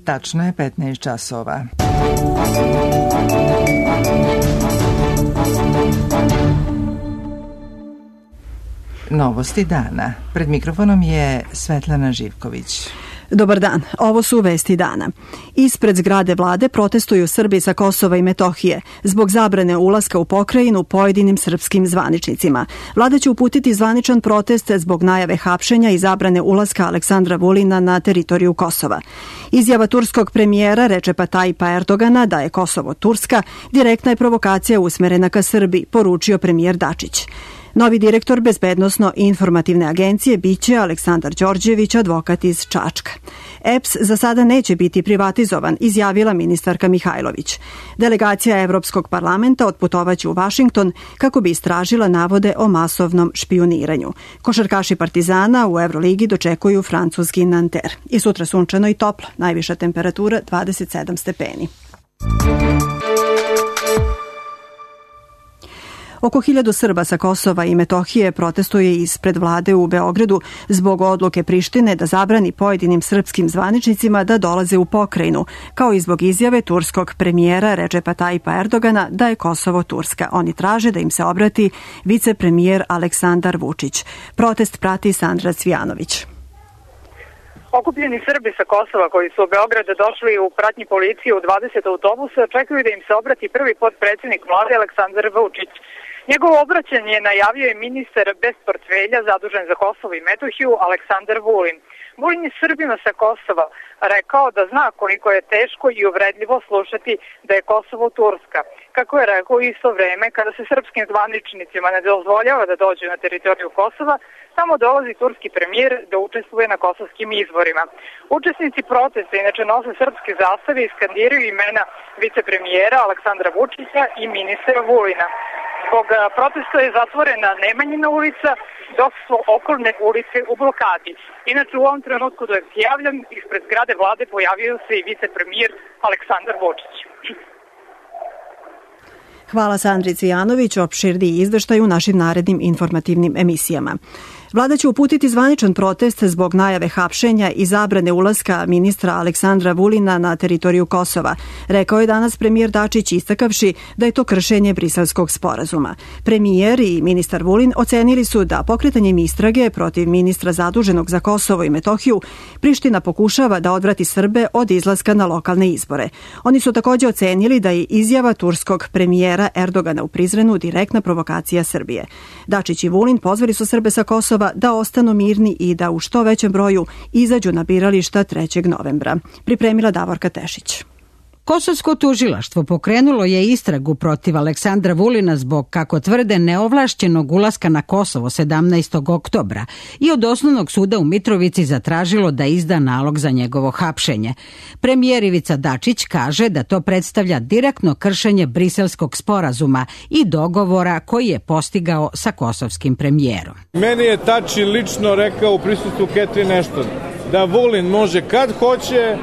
Tačno je 15 časova. Novosti dana. Pred mikrofonom je Svetlana Živković. Dobar dan, ovo su vesti dana. Ispred zgrade vlade protestuju Srbi sa Kosova i Metohije zbog zabrane ulaska u pokrajinu pojedinim srpskim zvaničnicima. Vlada će uputiti zvaničan protest zbog najave hapšenja i zabrane ulaska Aleksandra Vulina na teritoriju Kosova. Izjava turskog premijera Recepa Tayyipa Erdogana da je Kosovo Turska direktna je provokacija usmerena ka Srbiji, poručio premijer Dačić. Novi direktor Bezbednosno-informativne agencije biće Aleksandar Đorđević, advokat iz Čačka. EPS za sada neće biti privatizovan, izjavila ministarka Mihajlović. Delegacija Evropskog parlamenta otputovaće u Vašington kako bi istražila navode o masovnom špijuniranju. Košarkaši Partizana u Evroligi dočekuju francuski Nanter. I sutra sunčano i toplo, najviša temperatura 27 stepeni. Oko 1000 Srba sa Kosova i Metohije protestuje ispred vlade u Beogradu zbog odluke Prištine da zabrani pojedinim srpskim zvaničnicima da dolaze u pokrajinu, kao i zbog izjave turskog premijera Recepa Tayyipa Erdogana da je Kosovo Turska. Oni traže da im se obrati vicepremijer Aleksandar Vučić. Protest prati Sandra Cvijanović. Okupljeni Srbi sa Kosova koji su u Beograd došli u pratnji policije u 20 autobusa čekaju da im se obrati prvi potpredsjednik vlade Aleksandar Vučić. Njegovo obraćanje najavio je ministar bez portfelja zadužen za Kosovo i Metohiju Aleksandar Vulin. Vulin je Srbima sa Kosova rekao da zna koliko je teško i uvredljivo slušati da je Kosovo Turska. Kako je rekao u isto vreme, kada se srpskim zvaničnicima ne dozvoljava da dođu na teritoriju Kosova, tamo dolazi turski premijer da učestvuje na kosovskim izborima. Učesnici protesta inače nose srpske zastave i skandiraju imena vicepremijera Aleksandra Vučića i ministra Vulina. Zbog protesta je zatvorena Nemanjina ulica, dok su okolne ulice u blokadi. Inače, u ovom trenutku dok se javljam, ispred zgrade vlade pojavio se i vicepremijer Aleksandar Vučić. Hvala Sandri Cvijanović, opširniji izveštaj u našim narednim informativnim emisijama. Vlada će uputiti zvaničan protest zbog najave hapšenja i zabrane ulaska ministra Aleksandra Vulina na teritoriju Kosova, rekao je danas premijer Dačić, istakavši da je to kršenje Briselskog sporazuma. Premijer i ministar Vulin ocenili su da pokretanjem istrage protiv ministra zaduženog za Kosovo i Metohiju Priština pokušava da odvrati Srbe od izlaska na lokalne izbore. Oni su također ocenili da je izjava turskog premijera Erdogana u Prizrenu direktna provokacija Srbije. Dačić i Vulin pozvali su Srbe sa Kosova da ostanu mirni i da u što većem broju izađu na birališta 3. novembra. Pripremila Davorka Tešić. Kosovsko tužilaštvo pokrenulo je istragu protiv Aleksandra Vulina zbog, kako tvrde, neovlašćenog ulaska na Kosovo 17. oktobra i od Osnovnog suda u Mitrovici zatražilo da izda nalog za njegovo hapšenje. Premijer Ivica Dačić kaže da to predstavlja direktno kršenje Briselskog sporazuma i dogovora koji je postigao sa kosovskim premijerom. Meni je Tači lično rekao u prisustvu Catherine Ashton da Vulin može kad hoće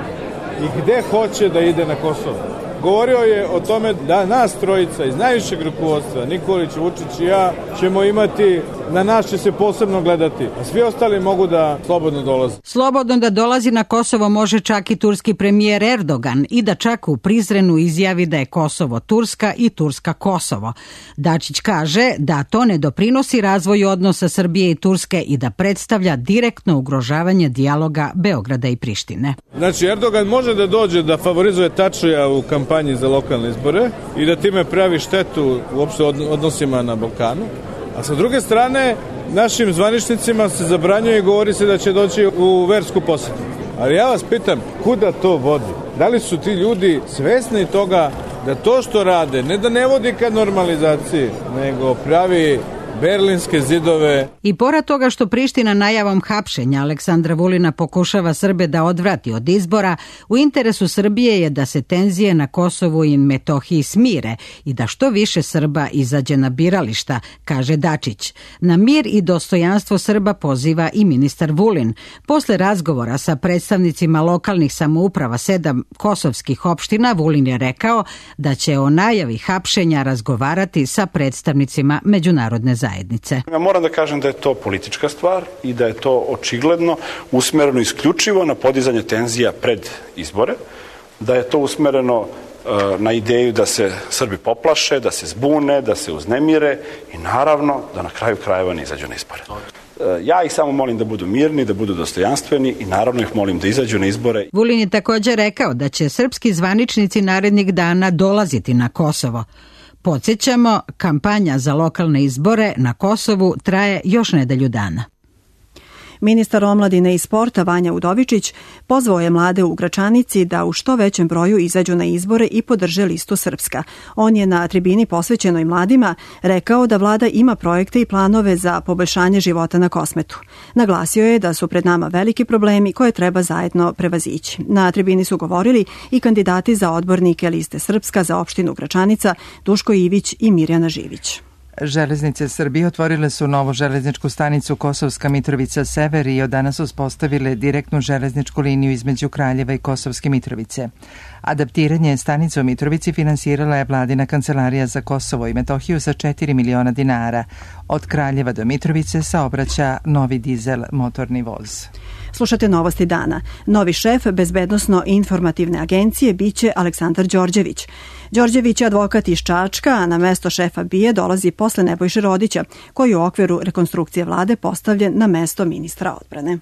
i gde hoće da ide na Kosovo. Govorio je o tome da nas trojica iz najvišeg rukovodstva, Nikolić, Vučić i ja, ćemo imati, na nas će se posebno gledati, a svi ostali mogu da slobodno dolaze. Slobodno da dolazi na Kosovo može čak i turski premijer Erdogan i da čak u Prizrenu izjavi da je Kosovo Turska i Turska Kosovo. Dačić kaže da to ne doprinosi razvoju odnosa Srbije i Turske i da predstavlja direktno ugrožavanje dijaloga Beograda i Prištine. Znači, Erdogan može da dođe da favorizuje Tačija u kampanji za lokalne izbore i da time pravi štetu uopšte odnosima na Balkanu. A sa druge strane, našim zvaničnicima se zabranjuje i govori se da će doći u versku posetu. Ali ja vas pitam, kuda to vodi? Da li su ti ljudi svesni toga da to što rade, ne da ne vodi ka normalizaciji, nego pravi berlinske zidove. I pored toga što Priština najavom hapšenja Aleksandra Vulina pokušava Srbe da odvrati od izbora, u interesu Srbije je da se tenzije na Kosovu i Metohiji smire i da što više Srba izađe na birališta, kaže Dačić. Na mir i dostojanstvo Srba poziva i ministar Vulin. Posle razgovora sa predstavnicima lokalnih samouprava 7 kosovskih opština, Vulin je rekao da će o najavi hapšenja razgovarati sa predstavnicima međunarodne zajednice. zajednice. Ja moram da kažem da je to politička stvar i da je to očigledno usmereno isključivo na podizanje tenzija pred izbore, da je to usmereno na ideju da se Srbi poplaše, da se zbune, da se uznemire i naravno da na kraju krajeva ne izađu na izbore. Ja ih samo molim da budu mirni, da budu dostojanstveni i naravno ih molim da izađu na izbore. Vulin je također rekao da će srpski zvaničnici narednih dana dolaziti na Kosovo. Podsjećamo, kampanja za lokalne izbore na Kosovu traje još nedelju dana. Ministar omladine i sporta Vanja Udovičić pozvao je mlade u Gračanici da u što većem broju izađu na izbore i podrže listu Srpska. On je na tribini posvećenoj mladima rekao da vlada ima projekte i planove za poboljšanje života na Kosmetu. Naglasio je da su pred nama veliki problemi koje treba zajedno prevazići. Na tribini su govorili i kandidati za odbornike liste Srpska za opštinu Gračanica, Duško Ivić i Mirjana Živić. Železnice Srbije otvorile su novu železničku stanicu Kosovska Mitrovica Sever i od danas uspostavile direktnu železničku liniju između Kraljeva i Kosovske Mitrovice. Adaptiranje stanice u Mitrovici finansirala je vladina kancelarija za Kosovo i Metohiju sa 4 miliona dinara. Od Kraljeva do Mitrovice saobraća novi dizel motorni voz. Slušate Novosti dana. Novi šef Bezbednosno-informativne agencije biće Aleksandar Đorđević. Đorđević je advokat iz Čačka, a na mesto šefa BIA dolazi posle Nebojše Rodića, koji je u okviru rekonstrukcije vlade postavljen na mesto ministra odbrane.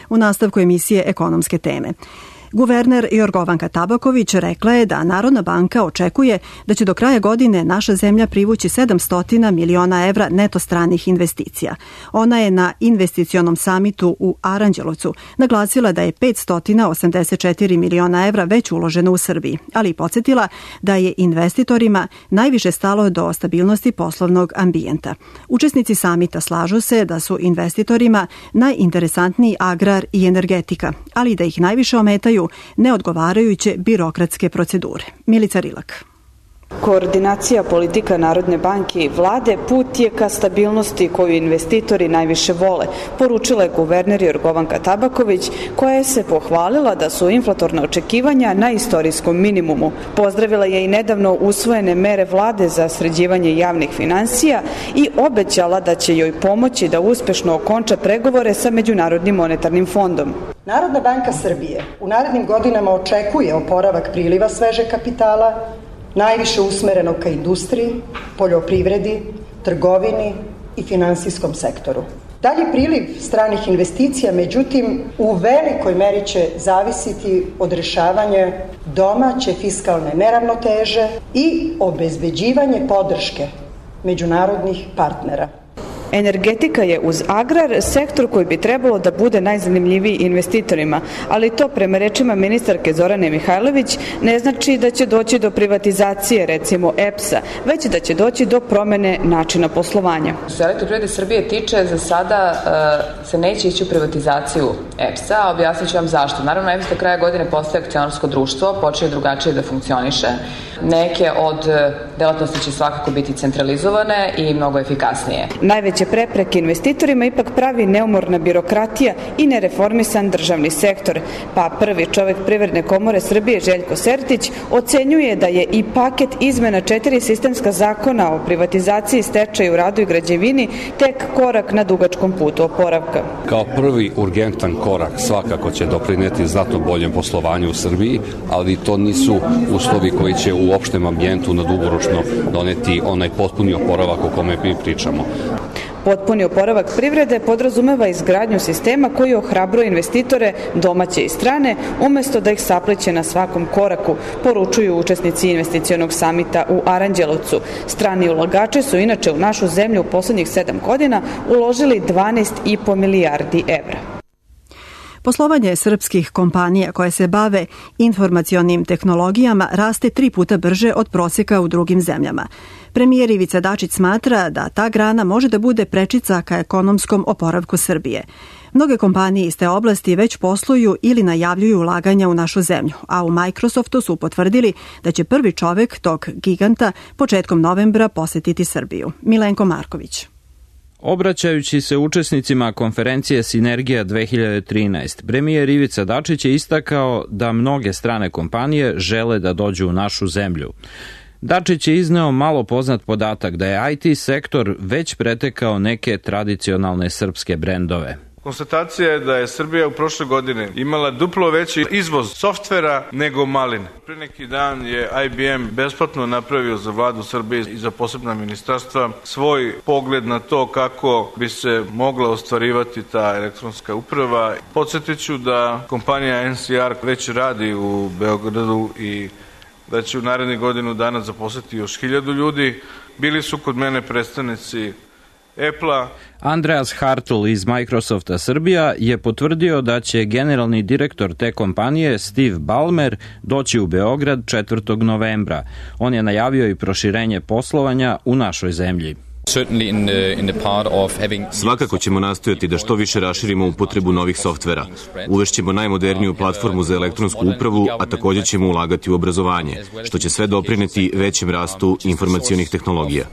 U nastavku emisije Ekonomske teme. Guverner Jorgovanka Tabaković rekla je da Narodna banka očekuje da će do kraja godine naša zemlja privući 700 miliona evra neto stranih investicija. Ona je na investicionom samitu u Aranđelovcu naglasila da je 584 miliona evra već uloženo u Srbiji, ali i podsjetila da je investitorima najviše stalo do stabilnosti poslovnog ambijenta. Učesnici samita slažu se da su investitorima najinteresantniji agrar i energetika, ali da ih najviše ometaju neodgovarajuće birokratske procedure. Milica Rilak. Koordinacija politika Narodne banke i vlade put je ka stabilnosti koju investitori najviše vole, poručila je guverner Jorgovanka Tabaković, koja je se pohvalila da su inflatorna očekivanja na istorijskom minimumu. Pozdravila je i nedavno usvojene mere vlade za sređivanje javnih finansija i obećala da će joj pomoći da uspešno okonča pregovore sa Međunarodnim monetarnim fondom. Narodna banka Srbije u narednim godinama očekuje oporavak priliva svežeg kapitala, najviše usmereno ka industriji, poljoprivredi, trgovini i finansijskom sektoru. Dalji priliv stranih investicija, međutim, u velikoj meri će zavisiti od rješavanja domaće fiskalne neravnoteže i obezbeđivanje podrške međunarodnih partnera. Energetika je uz agrar sektor koji bi trebalo da bude najzanimljiviji investitorima, ali to prema rečima ministarke Zorane Mihajlović ne znači da će doći do privatizacije, recimo EPS-a, već da će doći do promene načina poslovanja. Što se Elektroprivrede Srbije tiče, za sada se neće ići u privatizaciju EPS-a, a objasnit ću vam zašto. Naravno, EPS do kraja godine postaje akcionarsko društvo, počne drugačije da funkcioniše. Neke od delatnosti će svakako biti centralizovane i mnogo efikasnije. Najveće prepreke investitorima ipak pravi neumorna birokratija i nereformisan državni sektor, pa prvi čovek Privredne komore Srbije Željko Sertić ocenjuje da je i paket izmena 4 sistemska zakona o privatizaciji, stečaju, radu i građevini tek korak na dugačkom putu oporavka. Kao prvi urgentan korak svakako će doprineti znatno boljem poslovanju u Srbiji, ali to nisu uslovi koji će u opštem ambijentu na dugoročno doneti onaj potpuni oporavak o kome mi pričamo. Potpuni oporavak privrede podrazumeva izgradnju sistema koji ohrabruje investitore domaće i strane, umesto da ih sapliće na svakom koraku, poručuju učesnici investicionog samita u Aranđelovcu. Strani ulagači su inače u našu zemlju u poslednjih 7 godina uložili 12,5 milijardi evra. Poslovanje srpskih kompanija koje se bave informacionim tehnologijama raste 3 puta brže od prosjeka u drugim zemljama. Premijer Ivica Dačić smatra da ta grana može da bude prečica ka ekonomskom oporavku Srbije. Mnoge kompanije iz te oblasti već posluju ili najavljuju ulaganja u našu zemlju, a u Microsoftu su potvrdili da će prvi čovek tog giganta početkom novembra posetiti Srbiju. Milenko Marković. Obraćajući se učesnicima konferencije Sinergija 2013, premijer Ivica Dačić je istakao da mnoge strane kompanije žele da dođu u našu zemlju. Dačić je izneo malo poznat podatak da je IT sektor već pretekao neke tradicionalne srpske brendove. Konstatacija je da je Srbija u prošle godine imala duplo veći izvoz softvera nego maline. Pre neki dan je IBM besplatno napravio za vladu Srbije i za posebna ministarstva svoj pogled na to kako bi se mogla ostvarivati ta elektronska uprava. Podsjetiću da kompanija NCR već radi u Beogradu i da će u narednih godinu dana zaposliti još 1000 ljudi. Bili su kod mene predstavnici Apple-a. Andreas Hartl iz Microsofta Srbija je potvrdio da će generalni direktor te kompanije Steve Ballmer doći u Beograd 4. novembra. On je najavio i proširenje poslovanja u našoj zemlji. Svakako ćemo nastojati da što više raširimo upotrebu novih softvera. Uvešćemo najmoderniju platformu za elektronsku upravu, a također ćemo ulagati u obrazovanje, što će sve doprineti većem rastu informacionih tehnologija.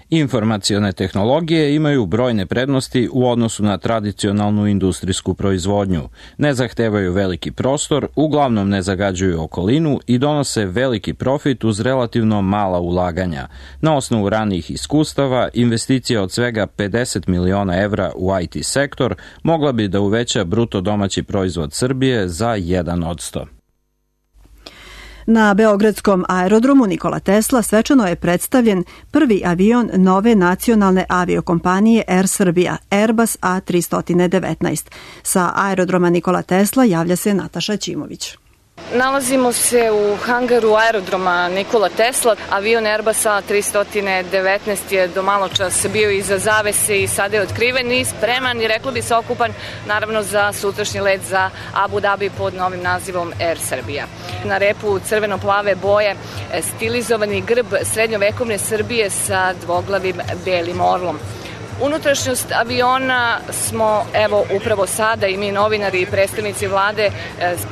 Informacione tehnologije imaju brojne prednosti u odnosu na tradicionalnu industrijsku proizvodnju. Ne zahtevaju veliki prostor, uglavnom ne zagađuju okolinu i donose veliki profit uz relativno mala ulaganja. Na osnovu ranijih iskustava, investicija od svega 50 miliona evra u IT sektor mogla bi da uveća bruto domaći proizvod Srbije za 1%. Na Beogradskom aerodromu Nikola Tesla svečano je predstavljen prvi avion nove nacionalne aviokompanije Air Srbija, Airbus A319. Sa aerodroma Nikola Tesla javlja se Nataša Ćimović. Nalazimo se u hangaru aerodroma Nikola Tesla. Avion Airbus A319 je do malo čas bio iza zavese i sada je otkriven i spreman i reklo bi se okupan naravno za sutrašnji let za Abu Dhabi pod novim nazivom Air Srbija. Na repu crveno-plave boje stilizovani grb srednjovekovne Srbije sa dvoglavim belim orlom. Unutrašnjost aviona smo, evo, upravo sada i mi novinari i predstavnici vlade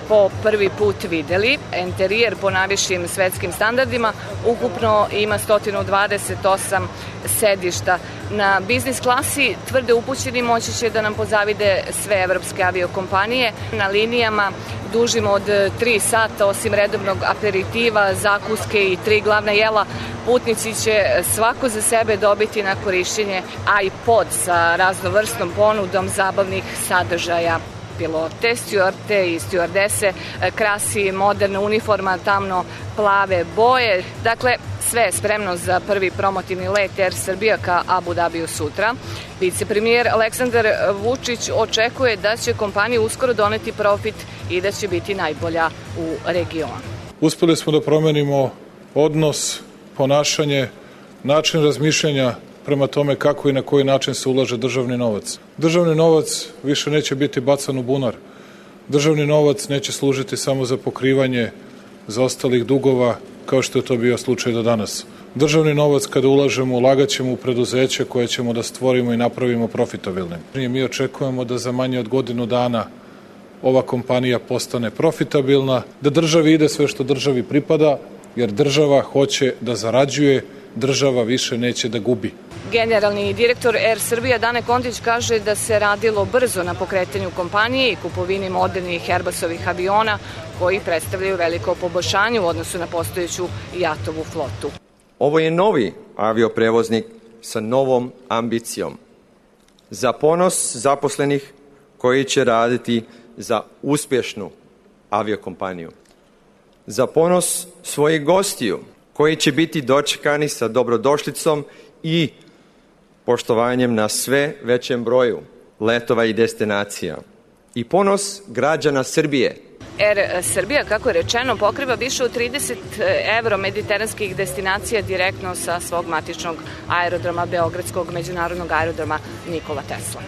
po prvi put videli. Interijer po najvišim svetskim standardima ukupno ima 128 sedišta. Na biznis klasi tvrde upućeni moći će da nam pozavide sve evropske aviokompanije. Na linijama dužim od 3 sata, osim redovnog aperitiva, zakuske i 3 glavna jela, putnici će svako za sebe dobiti na korišćenje iPod sa raznovrsnom ponudom zabavnih sadržaja. Pilote, stjuarte i stjuardese krasi moderna uniforma tamno-plave boje. Dakle, sve je spremno za prvi promotivni let Air Srbija ka Abu Dhabiju sutra. Vicepremijer Aleksandar Vučić očekuje da će kompanija uskoro doneti profit i da će biti najbolja u regionu. Uspeli smo da promenimo odnos, ponašanje, način razmišljanja prema tome kako i na koji način se ulaže državni novac. Državni novac više neće biti bacan u bunar. Državni novac neće služiti samo za pokrivanje zaostalih dugova, kao što je to bio slučaj do danas. Državni novac kada ulažemo, ulagat ćemo u preduzeće koje ćemo da stvorimo i napravimo profitabilnim. Mi očekujemo da za manje od godinu dana ova kompanija postane profitabilna, da državi ide sve što državi pripada, jer država hoće da zarađuje, država više neće da gubi. Generalni direktor Air Srbija Dane Kontić kaže da se radilo brzo na pokretanju kompanije i kupovini modernih Airbusovih aviona koji predstavljaju veliko poboljšanje u odnosu na postojeću jatovu flotu. Ovo je novi avioprevoznik sa novom ambicijom. Za ponos zaposlenih koji će raditi za uspješnu aviokompaniju. Za ponos svojih gostiju koji će biti dočekani sa dobrodošlicom i poštovanjem na sve većem broju letova i destinacija. I ponos građana Srbije. Air Srbija, kako je rečeno, pokriva više od 30 evro-mediteranskih destinacija direktno sa svog matičnog aerodroma, Beogradskog međunarodnog aerodroma Nikola Tesla.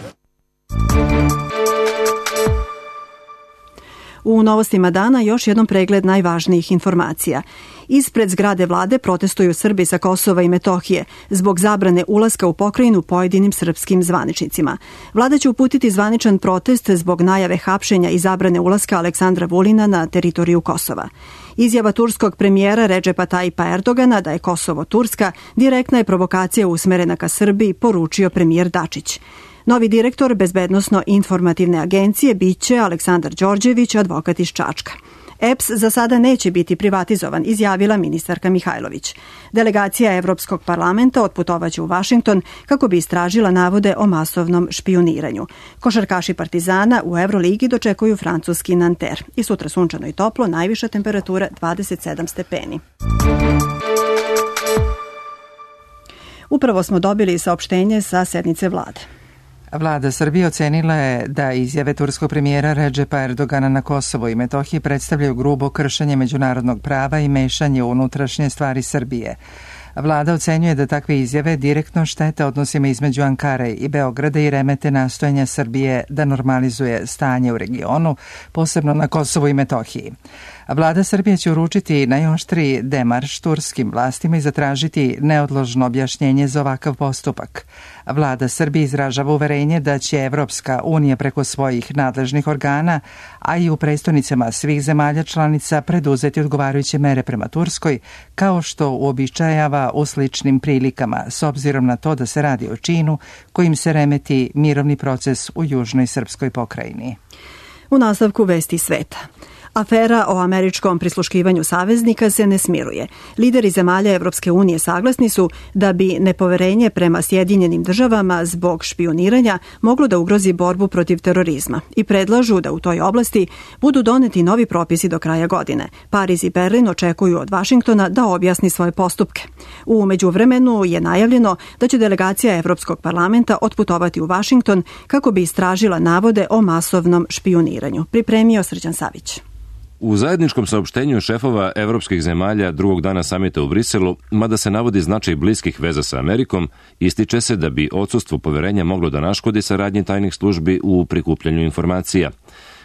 U novostima dana još jednom pregled najvažnijih informacija. Ispred zgrade vlade protestuju Srbi sa Kosova i Metohije zbog zabrane ulaska u pokrajinu pojedinim srpskim zvaničnicima. Vlada će uputiti zvaničan protest zbog najave hapšenja i zabrane ulaska Aleksandra Vulina na teritoriju Kosova. Izjava turskog premijera Redžepa Tajipa Erdogana da je Kosovo Turska direktna je provokacija usmerena ka Srbiji, poručio premijer Dačić. Novi direktor Bezbednosno-informativne agencije biće Aleksandar Đorđević, advokat iz Čačka. EPS za sada neće biti privatizovan, izjavila ministarka Mihajlović. Delegacija Evropskog parlamenta otputovaće u Vašington kako bi istražila navode o masovnom špijuniranju. Košarkaši Partizana u Euroligi dočekuju francuski Nanter. I sutra sunčano i toplo, najviša temperatura 27 stepeni. Upravo smo dobili saopštenje sa sednice vlade. Vlada Srbije ocenila je da izjave turskog premijera Redžepa Erdogana na Kosovo i Metohiji predstavljaju grubo kršenje međunarodnog prava i mešanje u unutrašnje stvari Srbije. Vlada ocenjuje da takve izjave direktno štete odnosima između Ankare i Beograda i remete nastojanja Srbije da normalizuje stanje u regionu, posebno na Kosovu i Metohiji. Vlada Srbije će uručiti najoštriji demarš turskim vlastima i zatražiti neodložno objašnjenje za ovakav postupak. Vlada Srbije izražava uverenje da će Evropska unija preko svojih nadležnih organa, a i u prestonicama svih zemalja članica preduzeti odgovarajuće mere prema Turskoj, kao što uobičajava u sličnim prilikama, s obzirom na to da se radi o činu kojim se remeti mirovni proces u južnoj srpskoj pokrajini. U nastavku vesti sveta. Afera o američkom prisluškivanju saveznika se ne smiruje. Lideri zemalja Evropske unije saglasni su da bi nepoverenje prema Sjedinjenim državama zbog špijuniranja moglo da ugrozi borbu protiv terorizma i predlažu da u toj oblasti budu doneti novi propisi do kraja godine. Pariz i Berlin očekuju od Vašingtona da objasni svoje postupke. U međuvremenu je najavljeno da će delegacija Evropskog parlamenta otputovati u Vašington kako bi istražila navode o masovnom špijuniranju. Pripremio Srđan Savić. U zajedničkom saopštenju šefova evropskih zemalja drugog dana samita u Briselu, mada se navodi značaj bliskih veza sa Amerikom, ističe se da bi odsustvo poverenja moglo da naškodi saradnji tajnih službi u prikupljanju informacija.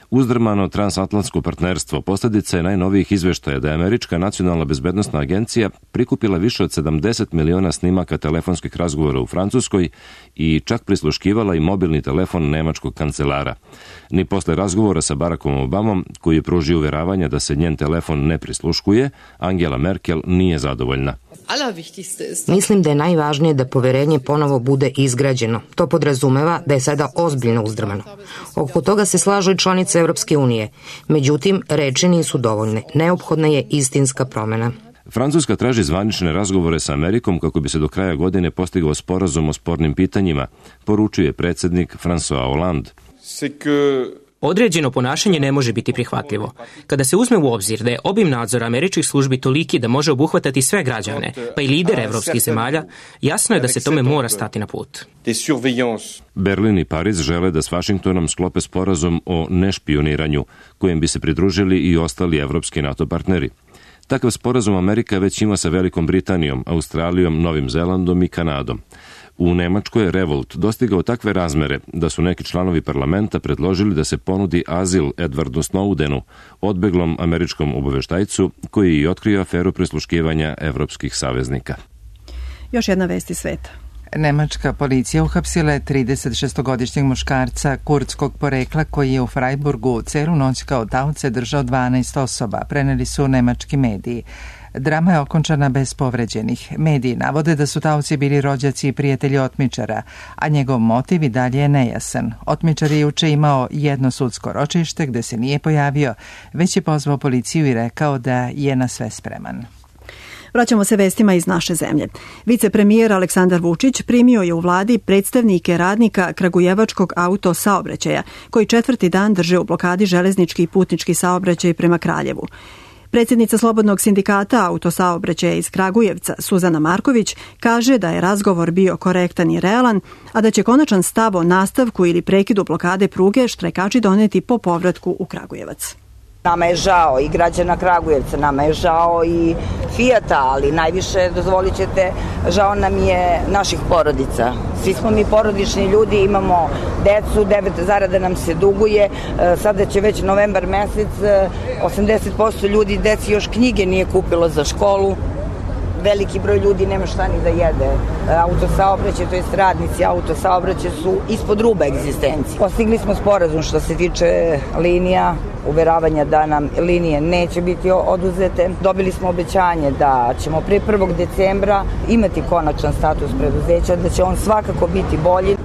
Uzdrmano transatlantsko partnerstvo posljedica je najnovijih izveštaja da je Američka nacionalna bezbednosna agencija prikupila više od 70 miliona snimaka telefonskih razgovora u Francuskoj i čak prisluškivala i mobilni telefon nemačkog kancelara. Ni posle razgovora sa Barackom Obamom, koji je pružio uveravanja da se njen telefon ne prisluškuje, Angela Merkel nije zadovoljna. Mislim da je najvažnije da poverenje ponovo bude izgrađeno. To podrazumeva da je sada ozbiljno uzdrmano. Oko toga se slažu i članice Evropske unije. Međutim, reči nisu dovoljne. Neophodna je istinska promena. Francuska traži zvanične razgovore sa Amerikom kako bi se do kraja godine postigao sporazum o spornim pitanjima, poručuje predsjednik François Hollande. Određeno ponašanje ne može biti prihvatljivo. Kada se uzme u obzir da je obim nadzora američkih službi toliki da može obuhvatati sve građane, pa i lidere evropskih zemalja, jasno je da se tome mora stati na put. Berlin i Pariz žele da s Vašingtonom sklope sporazum o nešpioniranju, kojem bi se pridružili i ostali evropski NATO partneri. Takav sporazum Amerika već ima sa Velikom Britanijom, Australijom, Novim Zelandom i Kanadom. U Nemačkoj je revolt dostigao takve razmere da su neki članovi parlamenta predložili da se ponudi azil Edwardu Snowdenu, odbeglom američkom obaveštajcu koji je otkrio aferu prisluškivanja evropskih saveznika. Još jedna vest iz sveta. Nemačka policija uhapsila je 36-godišnjeg muškarca kurdskog porekla koji je u Freiburgu celu noć kao taoce držao 12 osoba, preneli su nemački mediji. Drama je okončana bez povređenih. Mediji navode da su taoci bili rođaci i prijatelji otmičara, a njegov motiv i dalje je nejasan. Otmičar je juče imao jedno sudsko ročište gde se nije pojavio, već je pozvao policiju i rekao da je na sve spreman. Vraćamo se vestima iz naše zemlje. Vicepremijer Aleksandar Vučić primio je u vladi predstavnike radnika kragujevačkog auto saobraćaja, koji 4. dan drže u blokadi železnički i putnički saobraćaj prema Kraljevu. Predsjednica Slobodnog sindikata autosaobraćaja iz Kragujevca, Suzana Marković, kaže da je razgovor bio korektan i realan, a da će konačan stav o nastavku ili prekidu blokade pruge štrajkači doneti po povratku u Kragujevac. Nama je žao i građana Kragujevca, nama je žao i Fijata, ali najviše, dozvolit ćete, žao nam je naših porodica. Svi smo mi porodični ljudi, imamo decu, 9 zarada nam se duguje, sada će već novembar mesec, 80% ljudi deci još knjige nije kupilo za školu, veliki broj ljudi nema šta ni da jede. Autosaobraćaj, to jest radnici autosaobraćaja su ispod ruba egzistencije. Postigli smo sporazum što se tiče linija, uveravanja da nam linije neće biti oduzete. Dobili smo obećanje da ćemo pre 1. decembra imati konačan status preduzeća, da će on svakako biti bolji.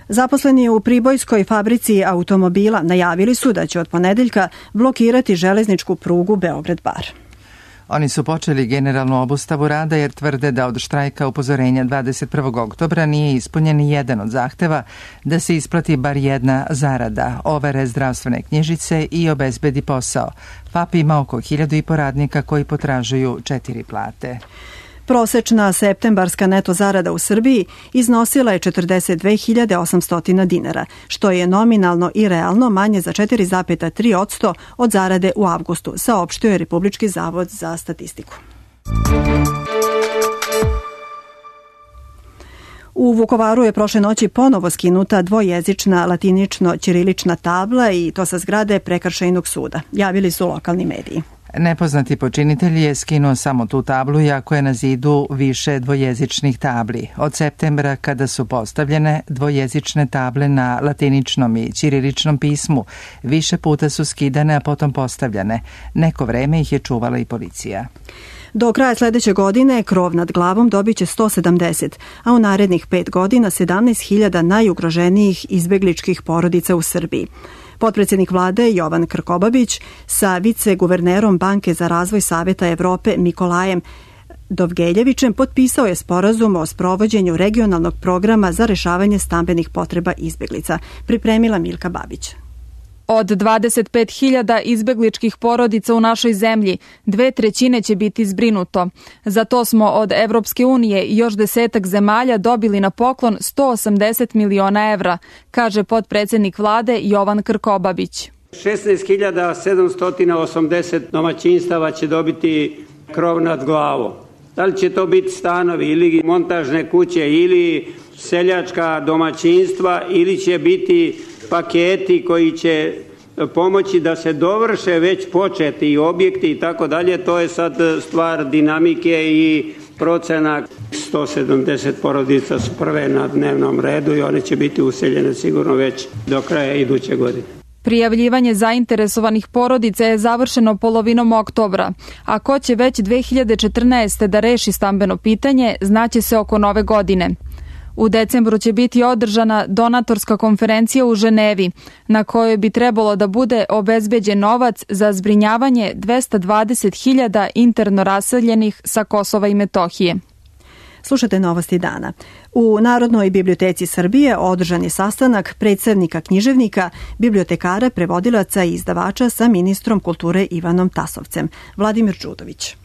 Zaposleni u Pribojskoj fabrici automobila najavili su da će od ponedeljka blokirati železničku prugu Beograd-Bar. Oni su počeli generalnu obustavu rada jer tvrde da od štrajka upozorenja 21. oktobra nije ispunjen ni jedan od zahteva da se isplati bar jedna zarada, overe zdravstvene knjižice i obezbedi posao. FAP ima oko 1.500 radnika koji potražuju 4 plate. Prosečna septembarska neto zarada u Srbiji iznosila je 42.800 dinara, što je nominalno i realno manje za 4,3% od zarade u avgustu, saopštio je Republički zavod za statistiku. U Vukovaru je prošle noći ponovo skinuta dvojezična latinično-ćirilična tabla i to sa zgrade Prekršajnog suda, javili su lokalni mediji. Nepoznati počinitelj je skinuo samo tu tablu, iako je na zidu više dvojezičnih tabli. Od septembra, kada su postavljene dvojezične table na latiničnom i ćiriličnom pismu, više puta su skidane, a potom postavljane. Neko vreme ih je čuvala i policija. Do kraja sledeće godine krov nad glavom dobit će 170, a u narednih 5 godina 17.000 najugroženijih izbegličkih porodica u Srbiji. Potpredsjednik vlade Jovan Krkobabić sa viceguvernerom Banke za razvoj Saveta Evrope Mikolajem Dovgeljevićem potpisao je sporazum o sprovođenju regionalnog programa za rešavanje stambenih potreba izbeglica, pripremila Milka Babić. Od 25.000 izbegličkih porodica u našoj zemlji, 2/3 će biti zbrinuto. Za to smo od Evropske unije i još 10 zemalja dobili na poklon 180 miliona evra, kaže potpredsjednik vlade Jovan Krkobabić. 16.780 domaćinstava će dobiti krov nad glavom. Da li će to biti stanovi ili montažne kuće ili seljačka domaćinstva ili će biti paketi koji će pomoći da se dovrše već početi objekti i tako dalje, to je sad stvar dinamike i procena. 170 porodica su prve na dnevnom redu i one će biti useljene sigurno već do kraja iduće godine. Prijavljivanje zainteresovanih porodica je završeno polovinom oktobra, a ko će već 2014. da reši stambeno pitanje, znaće se oko nove godine. U decembru će biti održana donatorska konferencija u Ženevi, na kojoj bi trebalo da bude obezbeđen novac za zbrinjavanje 220.000 interno raseljenih sa Kosova i Metohije. Slušate novosti dana. U Narodnoj biblioteci Srbije održan je sastanak predstavnika književnika, bibliotekara, prevodilaca i izdavača sa ministrom kulture Ivanom Tasovcem. Vladimir Đudović.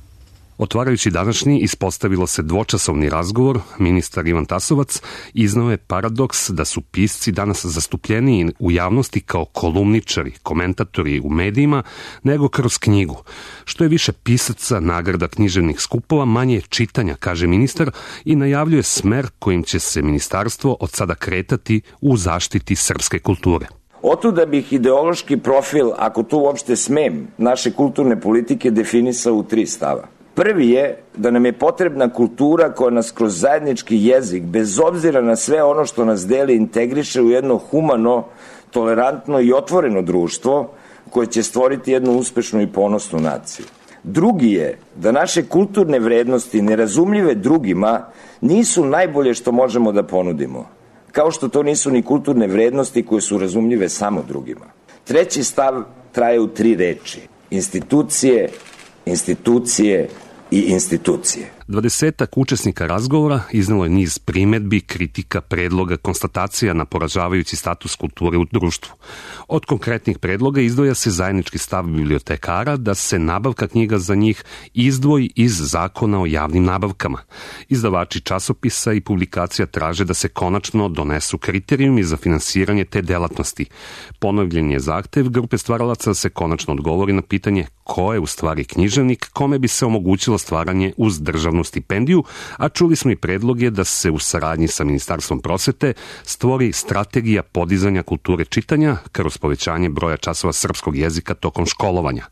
Otvarajući današnji, ispostavilo se dvočasovni razgovor. Ministar Ivan Tasovac iznao je paradoks da su pisci danas zastupljeniji u javnosti kao kolumničari, komentatori u medijima, nego kroz knjigu. Što je više pisaca, nagrada književnih skupova, manje je čitanja, kaže ministar, i najavljuje smer kojim će se ministarstvo od sada kretati u zaštiti srpske kulture. Otuda bih ideološki profil, ako to uopšte smem, naše kulturne politike definisao u 3 stava. Prvi je da nam je potrebna kultura koja nas kroz zajednički jezik, bez obzira na sve ono što nas deli, integriše u jedno humano, tolerantno i otvoreno društvo koje će stvoriti jednu uspešnu i ponosnu naciju. Drugi je da naše kulturne vrednosti, nerazumljive drugima, nisu najbolje što možemo da ponudimo, kao što to nisu ni kulturne vrednosti koje su razumljive samo drugima. Treći stav traje u 3 reči: institucije, institucije i institucije. 20 učesnika razgovora iznelo je niz primedbi, kritika, predloga, konstatacija na poražavajući status kulture u društvu. Od konkretnih predloga izdvoja se zajednički stav bibliotekara da se nabavka knjiga za njih izdvoji iz Zakona o javnim nabavkama. Izdavači časopisa i publikacija traže da se konačno donesu kriterijumi za finansiranje te delatnosti. Ponovljen je zahtev grupe stvaralaca da se konačno odgovori na pitanje ko je u stvari književnik, kome bi se omogućilo stvaranje uz državnu stipendiju, a čuli smo i predloge da se u saradnji sa Ministarstvom prosvete stvori strategija podizanja kulture čitanja kroz povećanje broja časova srpskog jezika tokom školovanja.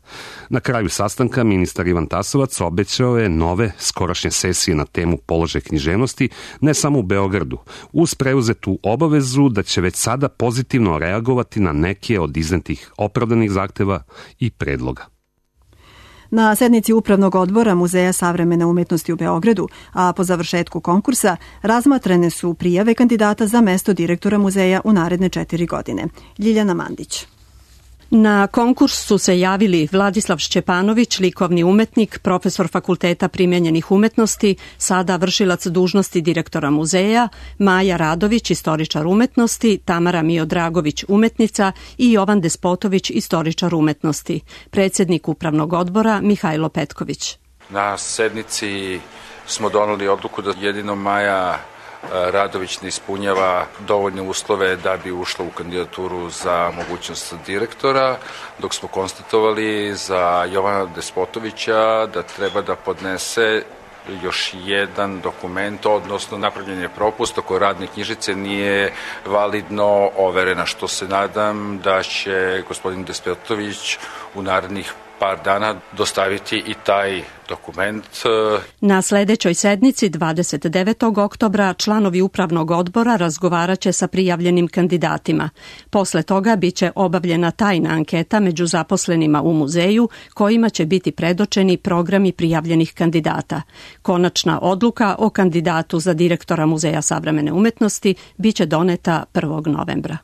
Na kraju sastanka ministar Ivan Tasovac obećao je nove skorašnje sesije na temu položaja književnosti, ne samo u Beogradu, uz preuzetu obavezu da će već sada pozitivno reagovati na neke od iznetih opravdanih zahteva i predloga. Na sednici Upravnog odbora Muzeja savremene umetnosti u Beogradu, a po završetku konkursa, razmatrane su prijave kandidata za mesto direktora muzeja u naredne 4 godine. Ljiljana Mandić. Na konkurs su se javili Vladislav Šćepanović, likovni umetnik, profesor Fakulteta primenjenih umetnosti, sada vršilac dužnosti direktora muzeja, Maja Radović, istoričar umetnosti, Tamara Miodragović, umetnica i Jovan Despotović, istoričar umetnosti. Predsjednik Upravnog odbora Mihajlo Petković. Na sednici smo doneli odluku da jedino Maja Radović ne ispunjava dovoljne uslove da bi ušla u kandidaturu za mogućnost direktora, dok smo konstatovali za Jovana Despotovića da treba da podnese još jedan dokument, odnosno napravljen je propust oko radne knjižice nije validno overena, što se nadam da će gospodin Despotović u narednih par dana dostaviti i taj dokument. Na sledećoj sednici 29. oktobra članovi Upravnog odbora razgovaraće sa prijavljenim kandidatima. Posle toga biće obavljena tajna anketa među zaposlenima u muzeju kojima će biti predočeni programi prijavljenih kandidata. Konačna odluka o kandidatu za direktora Muzeja savremene umetnosti biće doneta 1. novembra.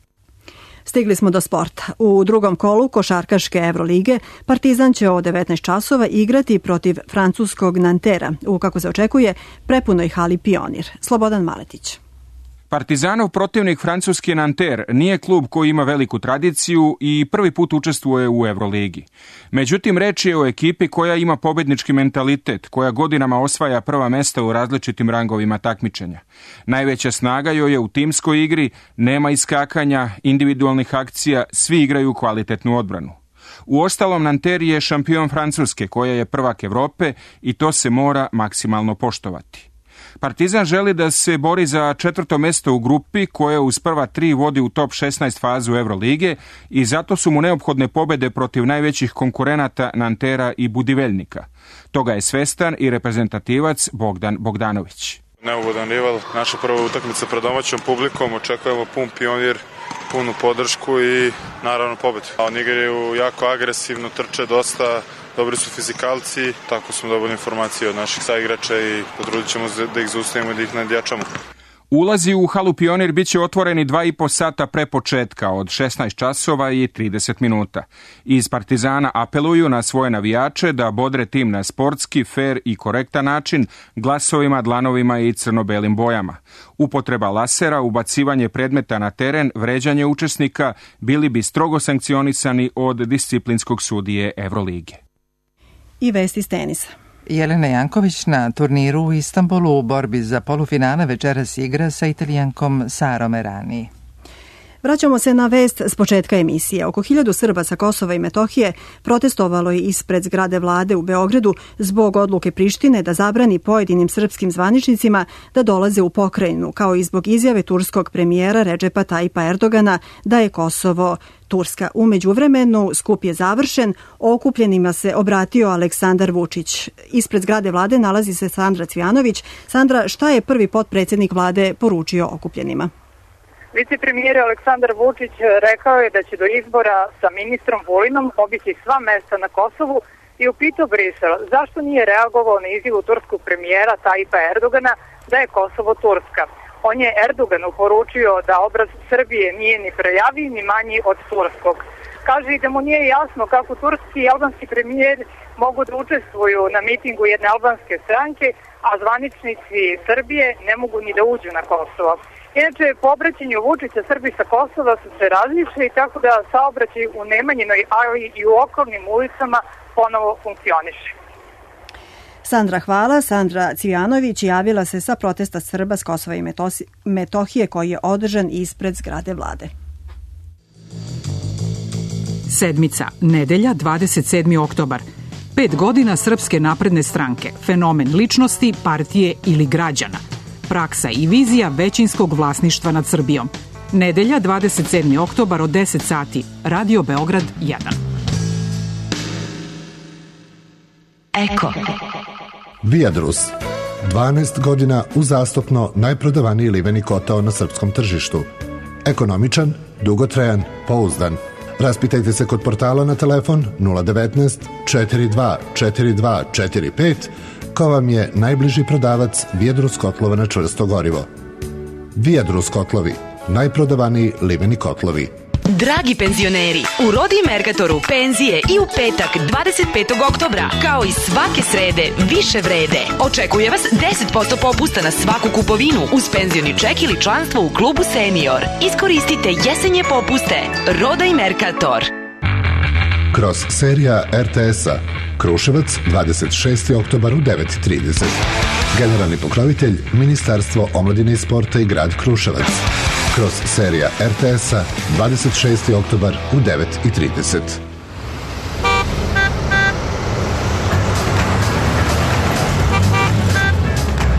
Stigli smo do sporta. U drugom kolu košarkaške Evrolige Partizan će o 19 časova igrati protiv francuskog Nantera u, kako se očekuje, prepunoj hali Pionir. Slobodan Maletić. Partizanov protivnik francuski Nanter nije klub koji ima veliku tradiciju i prvi put učestvuje u Evroligi. Međutim, reč je o ekipi koja ima pobednički mentalitet, koja godinama osvaja prva mesta u različitim rangovima takmičenja. Najveća snaga joj je u timskoj igri, nema iskakanja, individualnih akcija, svi igraju kvalitetnu odbranu. Uostalom, Nanter je šampion Francuske, koja je prvak Evrope i to se mora maksimalno poštovati. Partizan želi da se bori za 4. mesto u grupi koja uz prva 3 vodi u top 16 fazu Evrolige i zato su mu neophodne pobede protiv najvećih konkurenata Nantera i Budiveljnika. Toga je svestan i reprezentativac Bogdan Bogdanović. Neugodan rival, naša prva utakmica pred domaćom publikom, očekujemo pun Pionir, punu podršku i naravno pobedu. Oni igraju jako agresivno, trče dosta, dobri su fizikalci, tako smo dobili informacije od naših saigrača i potrudit ćemo da ih zaustavimo i da ih nadjačamo. Ulazi u halu Pionir biće otvoreni 2,5 sata pre početka od 16 časova i 30 minuta. Iz Partizana apeluju na svoje navijače da bodre tim na sportski, fer i korektan način glasovima, dlanovima i crno-belim bojama. Upotreba lasera, ubacivanje predmeta na teren, vređanje učesnika bili bi strogo sankcionisani od disciplinskog sudije Evrolige. I vesti s tenisa. Jelena Janković na turniru u Istanbulu u borbi za polufinale večeras igra sa Italijankom Sarom Errani. Vraćamo se na vest s početka emisije. Oko 1000 Srba sa Kosova i Metohije protestovalo je ispred zgrade vlade u Beogradu zbog odluke Prištine da zabrani pojedinim srpskim zvaničnicima da dolaze u pokrajinu, kao i zbog izjave turskog premijera Redžepa Tajipa Erdogana da je Kosovo Turska. U međuvremenu skup je završen, okupljenima se obratio Aleksandar Vučić. Ispred zgrade vlade nalazi se Sandra Cvijanović. Sandra, šta je prvi potpredsjednik vlade poručio okupljenima? Vicepremijer Aleksandar Vučić rekao je da će do izbora sa ministrom Vulinom obići sva mesta na Kosovu i upitao Brisel zašto nije reagovao na izjavu turskog premijera Tajipa Erdogana da je Kosovo Turska. On je Erdoganu poručio da obraz Srbije nije ni prejaviji ni manji od turskog. Kaže i da mu nije jasno kako turski i albanski premijer mogu da učestvuju na mitingu jedne albanske stranke, a zvaničnici Srbije ne mogu ni da uđu na Kosovo. Inače, po obraćanju Vučića Srbi sa Kosova su se razišli, tako da saobraćaj u Nemanjinoj, ali i u okolnim ulicama ponovo funkcioniše. Sandra, hvala. Sandra Cvijanović javila se sa protesta Srba s Kosova i Metohije koji je održan ispred zgrade vlade. Sedmica, nedelja, 27. oktobar. 5 godina Srpske napredne stranke, fenomen ličnosti, partije ili građana. Praksa i vizija većinskog vlasništva nad Srbijom. Nedelja, 27. oktobar od 10 sati. Radio Beograd 1. Eko. Viadrus. 12 godina uzastopno najprodavaniji liveni kotao na srpskom tržištu. Ekonomičan, dugotrajan, pouzdan. Raspitajte se kod portala na telefon 019 42 42 45 ko vam je najbliži prodavac Viadrus kotlova na čvrsto gorivo. Viadrus kotlovi, najprodavaniji limeni kotlovi. Dragi penzioneri, u Rodi Mercatoru penzije i u petak 25. oktobra, kao i svake srede, više vrede. Očekuje vas 10% popusta na svaku kupovinu uz penzioni ček ili članstvo u klubu Senior. Iskoristite jesenje popuste. Roda i Mercator. Kroz serija RTS-a Kruševac, 26. oktobar u 9:30. Generalni pokrovitelj Ministarstvo omladine i sporta i grad Kruševac. Kroz serija RTS-a 26. oktobar u 9:30.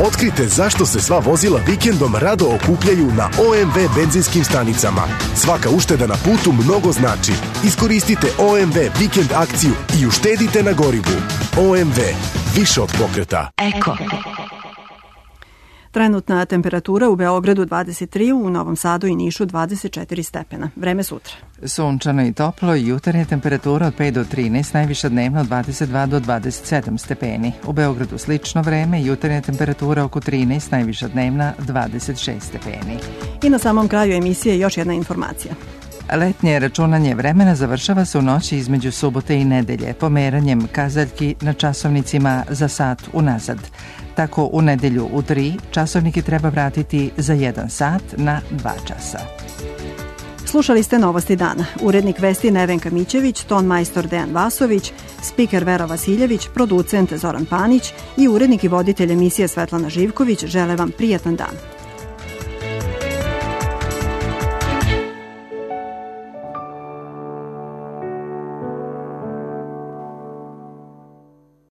Otkrite zašto se sva vozila vikendom rado okupljaju na OMV benzinskim stanicama. Svaka ušteda na putu mnogo znači. Iskoristite OMV vikend akciju i uštedite na gorivu. OMV, više od pokreta. Eko. Trenutna temperatura u Beogradu 23, u Novom Sadu i Nišu 24 stepena. Vreme sutra. Sunčano i toplo, jutarnja temperatura od 5 do 13, najviša dnevno od 22 do 27 stepeni. U Beogradu slično vreme, jutarnja temperatura oko 13, najviša dnevna 26 stepeni. I na samom kraju emisije još jedna informacija. Letnje računanje vremena završava se u noći između subote i nedelje, pomeranjem kazaljki na časovnicima za sat unazad. Tako u nedelju u 3 časovnike treba vratiti za 1 sat na 2 časa. Slušali ste Novosti dana. Urednik vesti Nevenka Mićević, ton majstor Dejan Vasović, spiker Vera Vasiljević, producent Zoran Panić i urednik i voditelj emisije Svetlana Živković žele vam prijatan dan.